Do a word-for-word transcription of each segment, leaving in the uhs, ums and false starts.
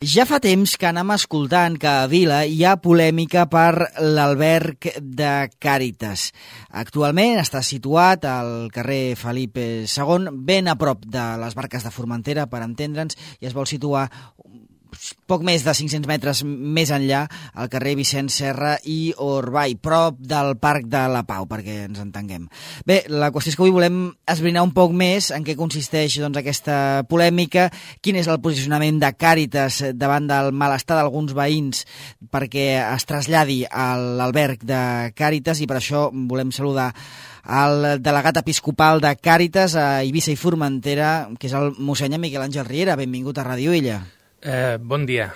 Ja fa temps que anem escoltant que a Vila hi ha polèmica per l'alberg de Càritas. Actualment està situat al carrer Felip segon, ben a prop de les Barques de Formentera, per entendre'ns, i es vol situar poc més de cinc-cents metres més enllà, al carrer Vicenç Serra i Orbay, prop del Parc de la Pau, perquè ens entenguem. Bé, la qüestió és que avui volem esbrinar un poc més en què consisteix doncs, aquesta polèmica, quin és el posicionament de Càritas davant del malestar d'alguns veïns perquè es traslladi a l'alberg de Càritas, i per això volem saludar el delegat episcopal de Càritas a Eivissa i Formentera, que és el mossèn Miquel Àngel Riera. Benvingut a Ràdio Illa. Eh, bon dia.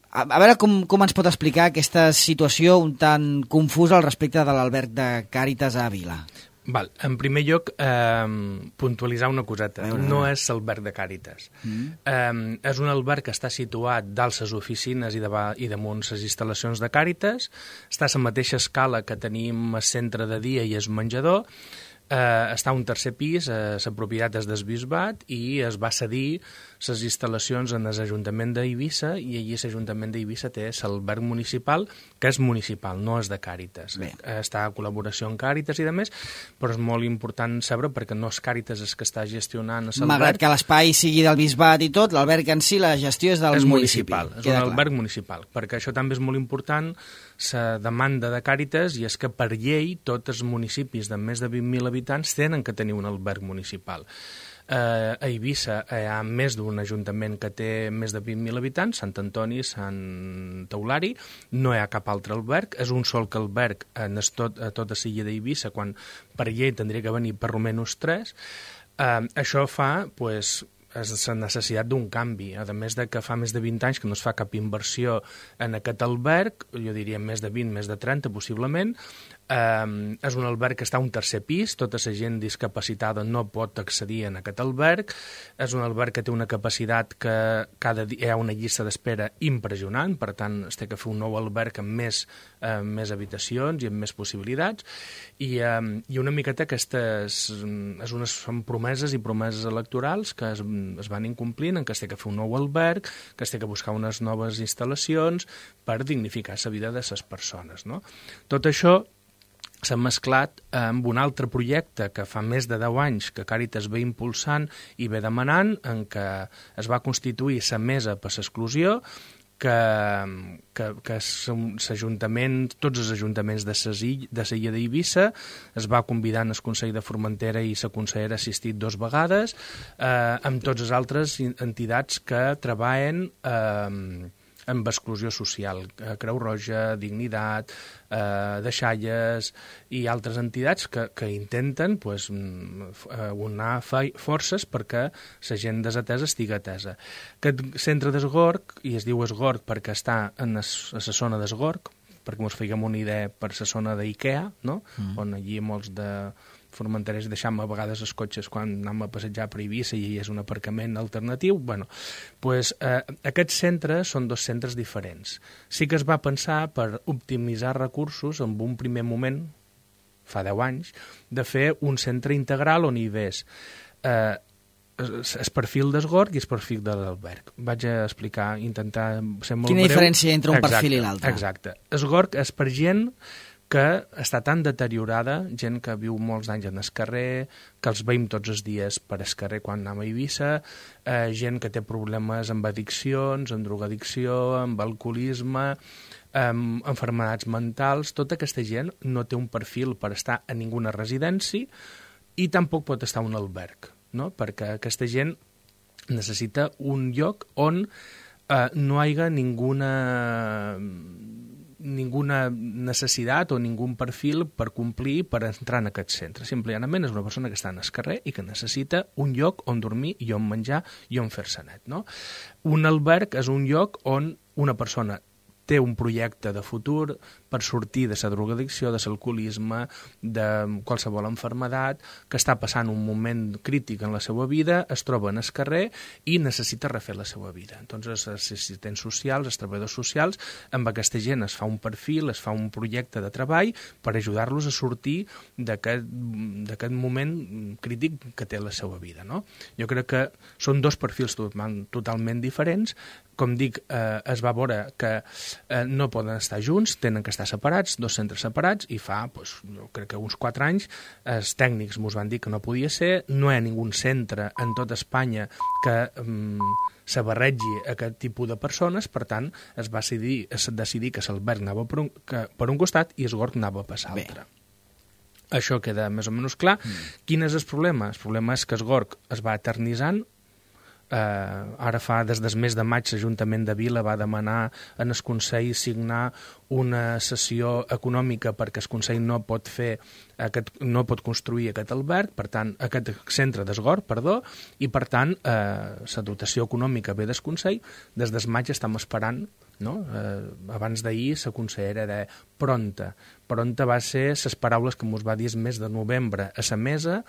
A, a veure com, com ens pot explicar aquesta situació un tant confusa al respecte de l'alberg de Càritas a Vila. Val. En primer lloc, eh, puntualitzar una coseta. Veure, no és l'alberg de Càritas. Mm. Eh, és un alberg que està situat dalt les oficines i, de, i damunt les instal·lacions de Càritas. Està a la mateixa escala que tenim el centre de dia i el menjador. Eh, està a un tercer pis, eh, la propietat és del bisbat i es va cedir les instal·lacions en l'Ajuntament d'Eivissa, i allí l'Ajuntament d'Eivissa té l'alberg municipal, que és municipal, no és de Càritas. Bé. Està a col·laboració amb Càritas i de més, però és molt important saber, perquè no és Càritas el que està gestionant l'alberg. Malgrat que l'espai sigui del bisbat i tot, l'alberg en si, la gestió és del és municipi. Municipal, és un alberg municipal, perquè això també és molt important, la demanda de Càritas, i és que per llei tots els municipis de més de vint mil habitants tenen que tenir un alberg municipal. Eh, a Eivissa hi ha més d'un ajuntament que té més de vint mil habitants, Sant Antoni, Sant Eulari, no hi ha cap altre alberg, és un sol que alberg en tot, a tota l'illa d'Eivissa, quan per llei tindria que venir per almenys tres. Eh, això fa, pues, és la necessitat d'un canvi, a més de que fa més de vint anys que no es fa cap inversió en aquest alberg, jo diria més de vint, més de trenta possiblement. Um, és un alberg que està a un tercer pis, tota la gent discapacitada no pot accedir en aquest alberg, és un alberg que té una capacitat que cada dia hi ha una llista d'espera impressionant, per tant es té que fer un nou alberg amb més, uh, més habitacions i amb més possibilitats, i, um, i una miqueta aquestes és unes, són promeses i promeses electorals que es, es van incomplint, en què es té que fer un nou alberg, que es té que buscar unes noves instal·lacions per dignificar la vida de les persones, no? Tot això s'ha mesclat amb un altre projecte que fa més de deu anys que Càritas ve impulsant i ve demanant, en què es va constituir la mesa per l'exclusió, que, que, que l'Ajuntament, tots els ajuntaments de la illa d'Eivissa, es va convidar en el Consell de Formentera i la consellera ha assistit dues vegades, eh, amb totes les altres entitats que treballen eh, amb exclusió social, Creu Roja, Dignitat, eh, Deixalles i altres entitats que, que intenten pues, unar forces perquè la gent desatesa estigui atesa. Aquest centre d'Esgorg, i es diu Esgorg perquè està en es, a la zona d'Esgorg, perquè ens fèiem una idea per la zona d'Ikea, no? Mm. On allí molts de formenterers deixam a vegades els cotxes quan anem a passejar per Eivissa i és un aparcament alternatiu. Bueno, pues, eh, aquests centres són dos centres diferents. Sí que es va pensar per optimitzar recursos en un primer moment, fa deu anys, de fer un centre integral on hi hagués eh, el perfil d'Esgorg i el perfil de l'alberg. Vaig a explicar, intentar ser molt Quina breu. diferència entre un exacte, perfil i l'altre? Exacte. Esgorg és per gent que està tan deteriorada, gent que viu molts anys en el carrer, que els veiem tots els dies per el carrer quan anem a Eivissa, eh, gent que té problemes amb addiccions, amb drogadicció, amb alcoholisme, amb enfermedats mentals. Tota aquesta gent no té un perfil per estar a ninguna residència i tampoc pot estar a un alberg, no? Perquè aquesta gent necessita un lloc on eh, no hi hagi ninguna... ninguna necessitat o ningun perfil per complir per entrar en aquest centre. Simplement és una persona que està en el carrer i que necessita un lloc on dormir i on menjar i on fer-se net, no? Un alberg és un lloc on una persona té un projecte de futur per sortir de la drogadicció, de l'alcoholisme, de qualsevol enfermedat, que està passant un moment crític en la seva vida, es troba en el carrer i necessita refer la seva vida. Entonces, els assistents socials, els treballadors socials, amb aquesta gent es fa un perfil, es fa un projecte de treball per ajudar-los a sortir d'aquest moment crític que té la seva vida, no? Jo crec que són dos perfils totalment diferents, com dic, eh, es va veure que eh, no poden estar junts, tenen que estar separats, dos centres separats, i fa, doncs, jo crec que uns quatre anys, els tècnics mos van dir que no podia ser, no hi ha ningú centre en tot Espanya que mm, se barregi aquest tipus de persones, per tant, es va decidir, es decidir que l'alberg anava per un, que, per un costat i el Gorg anava per l'altre. Això queda més o menys clar. Mm. Quin és el problema? El problema és que el Gorg es va eternitzant. Uh, ara fa, des del mes de maig, l'Ajuntament de Vila va demanar en el Consell signar una sessió econòmica perquè el Consell no pot fer aquest, no pot construir aquest alberg, per tant, aquest centre d'Esgorg, perdó, i per tant, eh, la dotació econòmica ve del Consell. Des del maig estem esperant, no? Eh, abans d'ahir la consellera de pronta. Pronta va ser les paraules que ens va dir el mes de novembre a la mesa.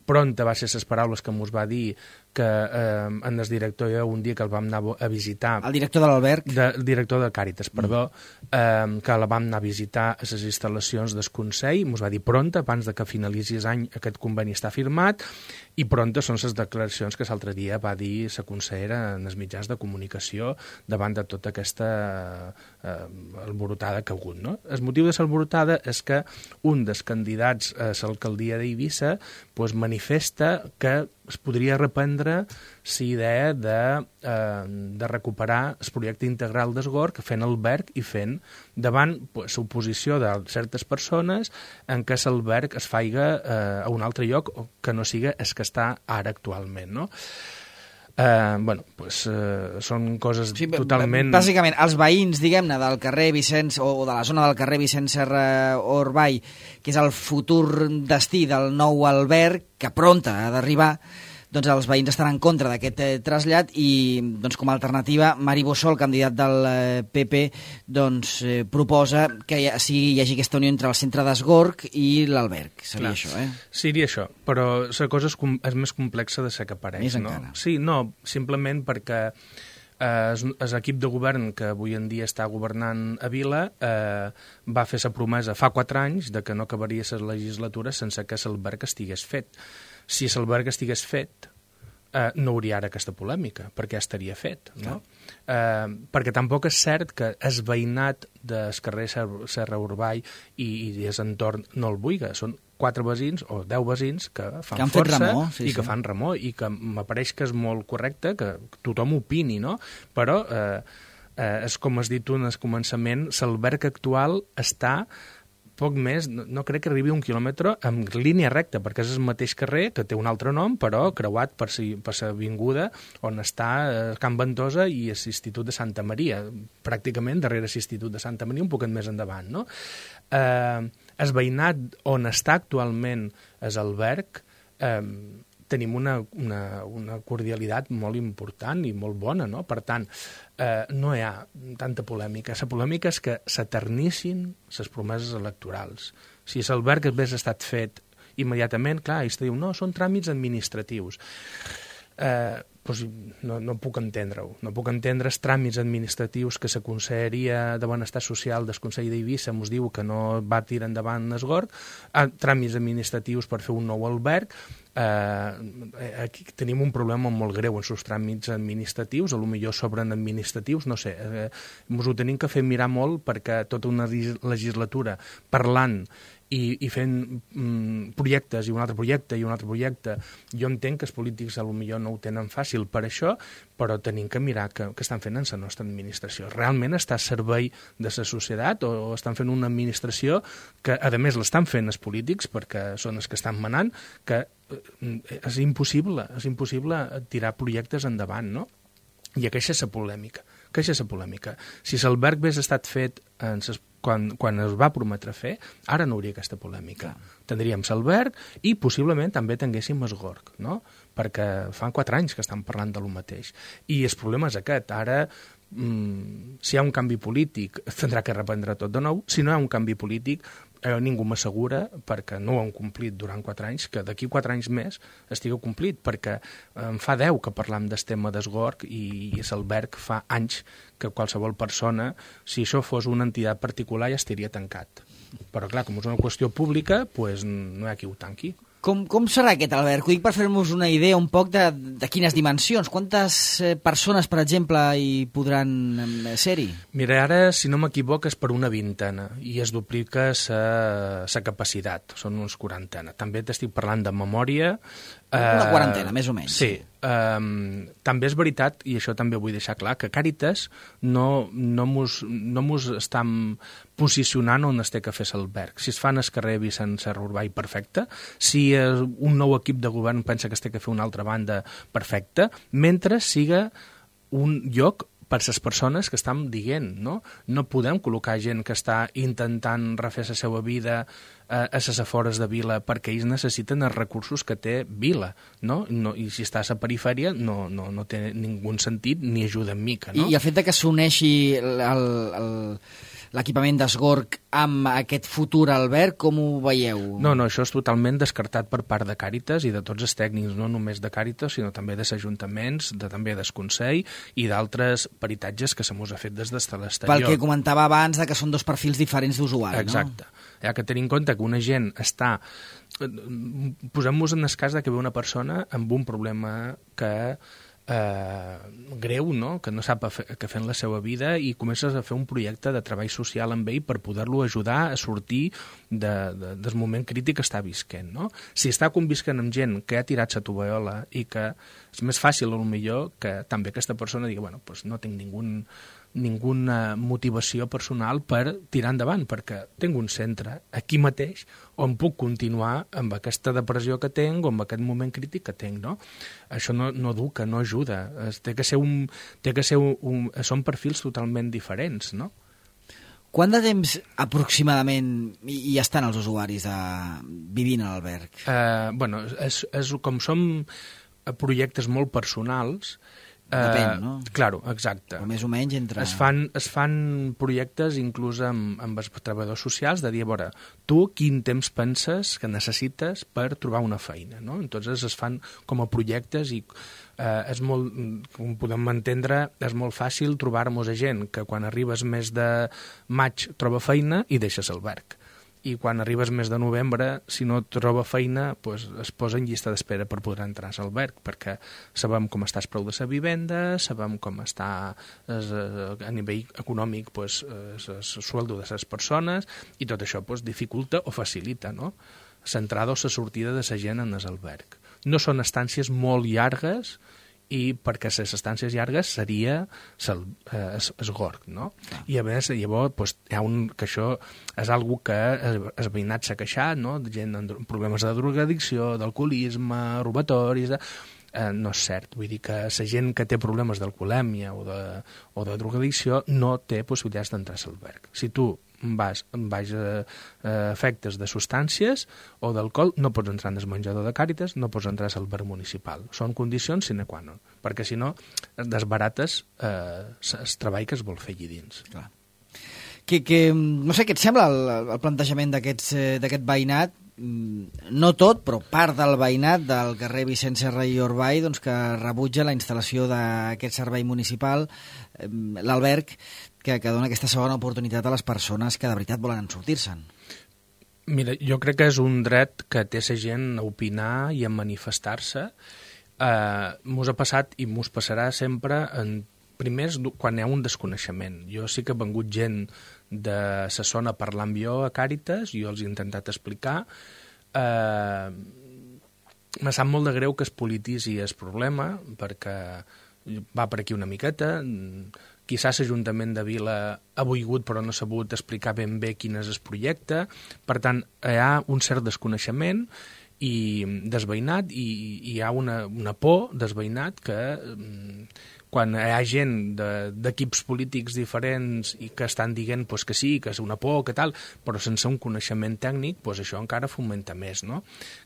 Pronta va ser les paraules que ens va dir que eh, en el director, un dia que el vam anar a visitar... El director de l'alberg? De, el director de Càritas, perdó, mm. eh, que la vam anar a visitar a les instal·lacions del Consell, ens va dir pronta, abans de que finalitzi l'any aquest conveni està firmat, i pronta són les declaracions que l'altre dia va dir la consellera en els mitjans de comunicació davant de tota aquesta eh, alborotada que ha hagut. No? El motiu de l'alborotada és que un dels candidats a l'alcaldia d'Eivissa pues, manifesta que es podria reprendre la idea de, eh, de recuperar el projecte integral d'Esgorg fent alberg i fent davant pues, l'oposició de certes persones en què l'alberg es faiga eh, a un altre lloc que no siga el que està ara actualment, no? Uh, bueno, pues, uh, són coses sí, totalment... Bàsicament, els veïns, diguem-ne, del carrer Vicenç, o de la zona del carrer Vicenç Serra Orball, que és el futur destí del nou alberg, que pronta ha d'arribar, doncs els veïns estan en contra d'aquest eh, trasllat i, doncs, com a alternativa, Mari Bossó, el candidat del eh, P P, doncs, eh, proposa que hi, sigui, hi hagi aquesta unió entre el centre d'Esgorg i l'alberg. Seria Clar. Això, eh? Seria això, però la cosa és, com, és més complexa de ser que pareix. Més no? encara. Sí, no, simplement perquè l'equip de govern que avui en dia està governant a Vila eh, va fer la promesa fa quatre anys de que no acabaria la legislatura sense que l'alberg estigués fet. Si l'alberg estigués fet, eh, no hauria ara aquesta polèmica, perquè ja estaria fet. No? Eh, perquè tampoc és cert que el veïnat del carrer Serra Urball i, i el entorn no el vulgui. Són quatre veïns o deu veïns que fan que força remor, sí, i que sí. fan remor i que m'apareix que és molt correcte que tothom opini, no? Però eh, eh, és com has dit tu en el començament, l'alberg actual està poc més, no, no crec que arribi un quilòmetre en línia recta, perquè és el mateix carrer, que té un altre nom, però creuat per si, per l'avinguda on està eh, Can Ventosa i l'Institut de Santa Maria, pràcticament darrere l'Institut de Santa Maria, un poquet més endavant, no? Eh, el veïnat on està actualment l'alberg, eh, tenim una, una, una cordialitat molt important i molt bona, no? Per tant, eh, no hi ha tanta polèmica. La polèmica és que s'eternissin les promeses electorals. Si l'alberg hagués estat fet immediatament, clar, ells diuen, no, són tràmits administratius. Eh, doncs no, no puc entendre-ho. No puc entendre els tràmits administratius que la Conselleria de Benestar Social del Consell d'Eivissa ens diu que no va tirar endavant Esgorg, eh, tràmits administratius per fer un nou alberg. Eh, aquí tenim un problema molt greu en els tràmits administratius, a lo millor sobren administratius, no sé, eh, ens ho tenim que fer mirar molt perquè tota una legislatura parlant i, i fent mm, projectes i un altre projecte i un altre projecte, jo entenc que els polítics a lo millor no ho tenen fàcil per això, però tenim que mirar què estan fent en la nostra administració. Realment està a servei de la societat o, o estan fent una administració que, a més, l'estan fent els polítics perquè són els que estan manant, que és impossible, és impossible tirar projectes endavant, no? I aquesta és la polèmica. Aquesta és la polèmica. Si l'alberg hagués estat fet en ses, quan, quan es va prometre fer, ara no hauria aquesta polèmica. Tindríem l'alberg i possiblement també tinguéssim Esgorg, no? Perquè fa quatre anys que estan parlant de lo mateix. I el problema és aquest. Ara, mm, si hi ha un canvi polític, tindrà que reprendre tot de nou. Si no hi ha un canvi polític, eh, ningú m'assegura, perquè no ho han complit durant quatre anys, que d'aquí quatre anys més estigui complit, perquè en fa deu que parlam del tema d'Esgorg i, i l'alberg fa anys que qualsevol persona, si això fos una entitat particular, ja estaria tancat. Però clar, com és una qüestió pública, pues, no hi ha qui ho tanqui. Com, com serà aquest alberg? Ho dic per fer-nos una idea un poc de, de quines dimensions. Quantes eh, persones, per exemple, hi podran eh, ser-hi? Mira, ara, si no m'equivoco, és per una vintena i es duplica sa capacitat, són uns quarantena. També t'estic parlant de memòria. Una eh, quarantena, més o menys. Sí. Um, també és veritat, i això també vull deixar clar, que Càritas no, no mos, no mos estan posicionant on es té que fer l'alberg. Si es fa en el carrer Vicent Serra Urbà i perfecte, si un nou equip de govern pensa que es té que fer una altra banda, perfecte, mentre siga un lloc per les persones que estan dient, no? No podem col·locar gent que està intentant refer la seva vida a les afores de Vila perquè ells necessiten els recursos que té Vila, no? No, i si està a la perifèria no, no, no té ningú sentit ni ajuda en mica, no? I el fet de que s'uneixi l'equipament d'Esgorg amb aquest futur alberg, com ho veieu? No, no, això és totalment descartat per part de Càritas i de tots els tècnics, no només de Càritas, sinó també dels ajuntaments, de, també del Consell i d'altres peritatges que se mos ha fet des de l'exterior. Pel que comentava abans, de que són dos perfils diferents d'usuari, no? Exacte. Hi ha que tenir en compte que una gent està... Posem-nos en el cas de que ve una persona amb un problema que... Eh, greu, no? Que no sap què fer en la seva vida i comences a fer un projecte de treball social amb ell per poder-lo ajudar a sortir de, de, del moment crític que està visquent, no? Si està convisquent amb gent que ha tirat la tovallola i que és més fàcil, potser, que també aquesta persona digui, bueno, pues no tinc ningú ninguna motivació personal per tirar endavant, perquè tinc un centre aquí mateix on puc continuar amb aquesta depressió que tinc o amb aquest moment crític que tinc, no? Això no, no educa, no ajuda. Es, té que ser un, té que ser un, un... Són perfils totalment diferents, no? Quant de temps aproximadament hi, hi estan els usuaris de... vivint a l'alberg? Eh, bueno, és, és, com som projectes molt personals, depèn, no? Uh, claro, exacte. O més o menys entre... Es fan, es fan projectes inclús amb, amb els treballadors socials de dir, a veure, tu quin temps penses que necessites per trobar una feina, no? Entonces es fan com a projectes i uh, és molt, com podem entendre, és molt fàcil trobar-nos a gent que quan arribes mes de maig troba feina i deixes l'alberg. I quan arribes mes de novembre, si no troba feina, pues, es posa en llista d'espera per poder entrar a l'alberg, perquè sabem com està el preu de la vivenda, sabem com està es, a nivell econòmic pues, el sueldo de les persones, i tot això pues, dificulta o facilita, no? L'entrada o la sortida de la gent en l'alberg. No són estàncies molt llargues, i perquè les estàncies llargues seria el eh, Esgorg, no? Ah. I a més, llavors, pues, hi ha un, que això és algo que el veïnat s'ha queixat, no? Gent amb problemes de drogadicció, d'alcoholisme, robatoris... De... Eh, no és cert, vull dir que la gent que té problemes d'alcoholèmia o de, o de drogadicció no té possibilitats d'entrar a l'alberg. Si tu vas amb baix a, a efectes de substàncies o d'alcohol, no pots entrar en el menjador de Càritas, no pots entrar a l'alberg municipal. Són condicions sine qua non, perquè si no desbarates eh, el treball que es vol fer allí dins. Clar. Que, que, no sé què et sembla el, el plantejament d'aquest veïnat, no tot, però part del veïnat del carrer Vicent Serra i Orbay, doncs, que rebutja la instal·lació d'aquest servei municipal, l'alberg, que, que dona aquesta segona oportunitat a les persones que de veritat volen sortir-se'n. Mira, jo crec que és un dret que té la gent a opinar i a manifestar-se. Eh, mos ha passat i mos passarà sempre en primers quan hi ha un desconeixement. Jo sí que ha vengut gent de la zona parlant amb jo a Càritas, jo els he intentat explicar. Eh, me sap molt de greu que es polititzi el problema, perquè va per aquí una miqueta. Quizás l'Ajuntament de Vila ha volgut però no ha sabut explicar ben bé quin és el projecte. Per tant, hi ha un cert desconeixement i desveïnat i hi ha una, una por desveïnat que quan hi ha gent d'equips polítics diferents i que estan dient pues, que sí, que és una por, que tal, però sense un coneixement tècnic, pues, això encara fomenta més, no?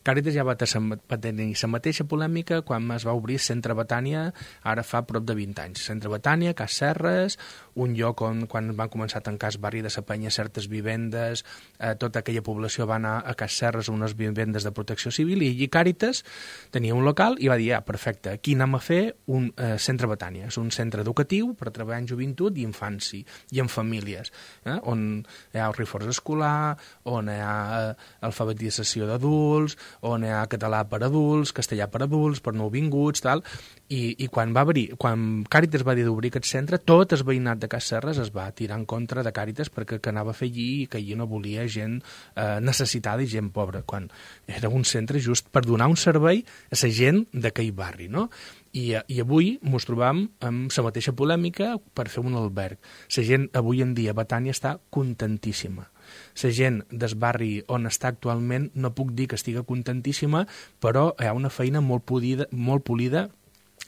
Càritas ja va tenir la mateixa polèmica quan es va obrir Centre Betània, ara fa prop de vint anys. Centre Betània, Cas Serres, un lloc on quan van començar a tancar el barri de la Penya certes vivendes, eh, tota aquella població va anar a Cas Serres a unes vivendes de protecció civil i allí Càritas tenia un local i va dir, ah, perfecte, aquí anem a fer un eh, Centre Betània. Betània. És un centre educatiu per treballar en joventut i infància i en famílies, eh? On hi ha el reforç escolar, on hi ha alfabetització d'adults, on hi ha català per adults, castellà per adults, per nouvinguts, tal. I, i quan va obrir, quan Càritas va dir d'obrir aquest centre, tot el veïnat de Cas Serres es va tirar en contra de Càritas perquè que anava a fer allí i que allí no volia gent eh, necessitada i gent pobra, quan era un centre just per donar un servei a la gent d'aquell barri, no? I, i avui ens trobam amb la mateixa polèmica per fer un alberg. La gent avui en dia a Betània està contentíssima. La gent del barri on està actualment no puc dir que estigui contentíssima, però hi ha una feina molt polida, molt polida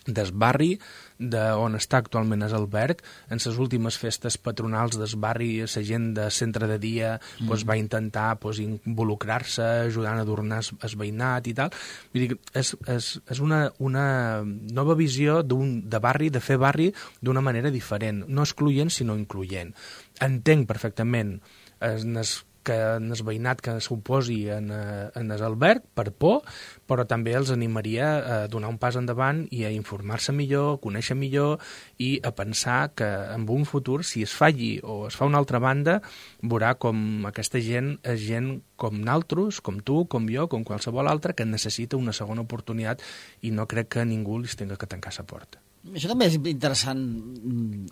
del barri de on està actualment és alberg. En les últimes festes patronals del barri, la gent de centre de dia mm. pues, va intentar pues, involucrar-se, ajudant a adornar el veïnat i tal. Vull dir, és, és, és una, una nova visió de barri, de fer barri d'una manera diferent, no excloent sinó incloent. Entenc perfectament en els que en el veïnat que s'oposi en, en l'alberg per por, però també els animaria a donar un pas endavant i a informar-se millor, a conèixer millor i a pensar que en un futur, si es falli o es fa una altra banda, veurà com aquesta gent és gent com naltros, com tu, com jo, com qualsevol altre, que necessita una segona oportunitat i no crec que ningú li tenga que tancar la porta. Això també és interessant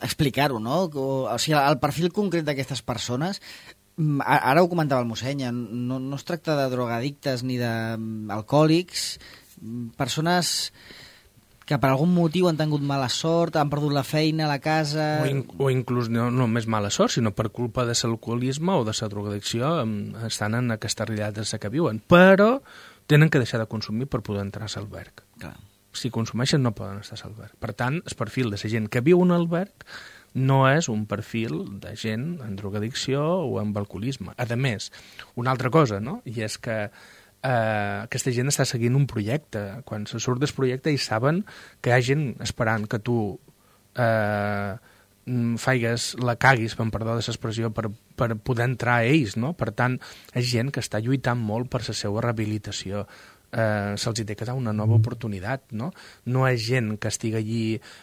explicar-ho, no? O sigui, el perfil concret d'aquestes persones, ara ho comentava el mossèn, no, no es tracta de drogadictes ni d'alcohòlics, persones que per algun motiu han tingut mala sort, han perdut la feina, la casa... O, in, o inclús no només mala sort, sinó per culpa de l'alcoholisme o de la drogadicció estan en aquesta realitat que viuen, però tenen que deixar de consumir per poder entrar a l'alberg. Clar. Si consumeixen no poden estar a l'alberg. Per tant, el perfil de la gent que viu en alberg no és un perfil de gent en drogadicció o amb alcoholisme. A més, una altra cosa, no? I és que eh, aquesta gent està seguint un projecte. Quan se surt del projecte i saben que hi ha gent esperant que tu eh, faigues, la caguis, per perdó de l'expressió, per, per poder entrar a ells, no? Per tant, és gent que està lluitant molt per la seva rehabilitació. Eh, se'ls té que dar una nova oportunitat, no? No és gent que estigui allí...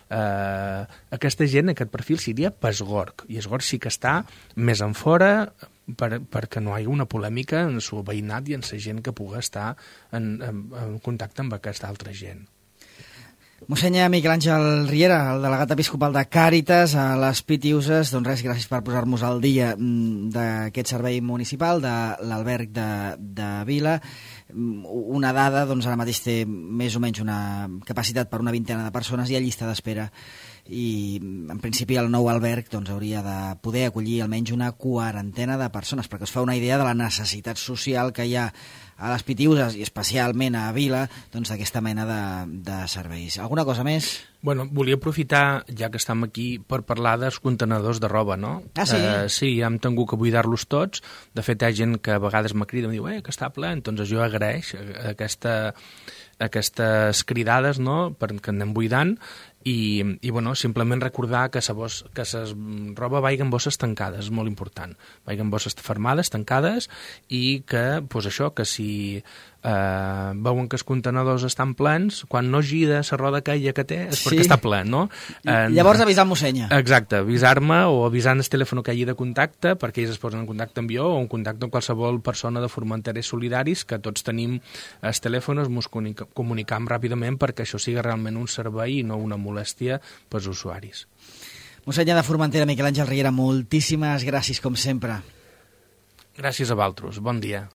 Eh, aquesta gent, aquest perfil, seria pas Gorg, i es Gorg sí que està més en fora per, perquè no hi ha una polèmica en el seu veïnat i en la gent que pugui estar en, en, en contacte amb aquesta altra gent. Mossèn Miquel Àngel Riera, el delegat episcopal de Càritas a les Pitiuses, doncs res, gràcies per posar-nos al dia d'aquest servei municipal de l'alberg de, de Vila. Una dada, doncs ara mateix té més o menys una capacitat per una vintena de persones i a llista d'espera, i en principi el nou alberg doncs, hauria de poder acollir almenys una quarantena de persones, perquè es fa una idea de la necessitat social que hi ha a les Pitiuses i especialment a Vila doncs, d'aquesta mena de, de serveis. Alguna cosa més? Bueno, volia aprofitar, ja que estem aquí, per parlar dels contenedors de roba, no? Ah, sí? Uh, sí, hem tingut que buidar-los tots. De fet, hi ha gent que a vegades me crida i em diu eh, que està ple, doncs jo agraeix aquesta, aquestes cridades, no?, perquè anem buidant. I, i bueno, simplement recordar que la bos, que la roba vagi en bosses tancades, és molt important. Vagi en bosses fermades, tancades, i que, doncs això, que si eh, veuen que els contenedors estan plens, quan no gira la roda aquella que té, és perquè sí. Està ple, no? Eh, Llavors avisar el mossèn. Exacte, avisar-me o avisar el telèfon que hi hagi de contacte, perquè ells es posen en contacte amb jo o en contacte amb qualsevol persona de Formenterers Solidaris, que tots tenim els telèfons, ens comunicam ràpidament perquè això sigui realment un servei i no una molèstia pels usuaris. Mossèn de Formentera, Miquel Àngel Riera, moltíssimes gràcies, com sempre. Gràcies a vosaltres. Bon dia.